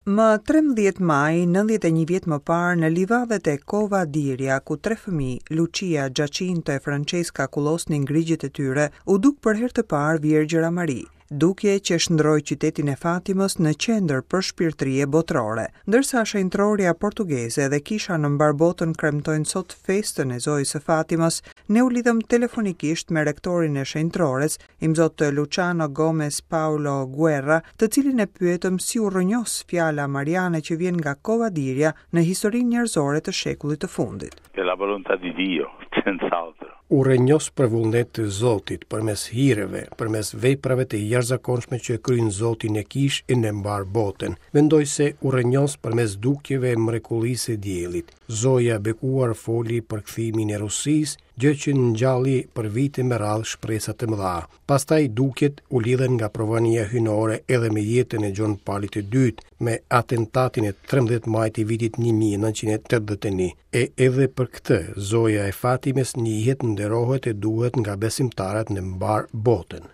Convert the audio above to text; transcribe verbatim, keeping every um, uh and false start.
Më trembëdhjetë maj, nëntëdhjetë e një vjet më parë, në livadhet e Cova d'Iria, ku tre fëmijë, Lucia, Giacinto e Francesca kullosnin grigjet e tyre, u duk për herë të parë Virgjëra Mari, dukje që shndërroi qytetin e Fatimës në qendër përshpirtërie botërore. Ndërsa shenjtorja portugeze dhe kisha në mbar botën kremtojnë sot festën e Zojës së Fatimës, ne u lidhëm telefonikisht me rektorin e shenjtores, imzot Luciano Gomes Paulo Guerra, të cilin e pyetëm si u rrënjos fjala mariane që vjen nga Cova d'Iria në historinë njerëzore të shekullit të fundit. È la volontà di Dio, senz'altro. U rrënjos për vullnet të Zotit, përmes hireve, përmes veprave të jashtëzakonshme që kryen Zoti në kishë e në mbar botën. Mendoj se u rrënjos përmes dukjeve e mrekullisë së diellit. Zoja e bekuar foli për kthimin e Rusisë, gjë që ngjalli për vite me radhë shpresa të mëdha. Pastaj dukjet u lidhen nga provania hyjnore edhe me jetën e Gjon Palit të dytë, me atentatin e trembëdhjetë majit të vitit një mijë e nëntëqind e tetëdhjetë e një. E edhe për këtë, Zoja e Fatimes njihet, nderohet e duhet nga besimtarët në mbar botën.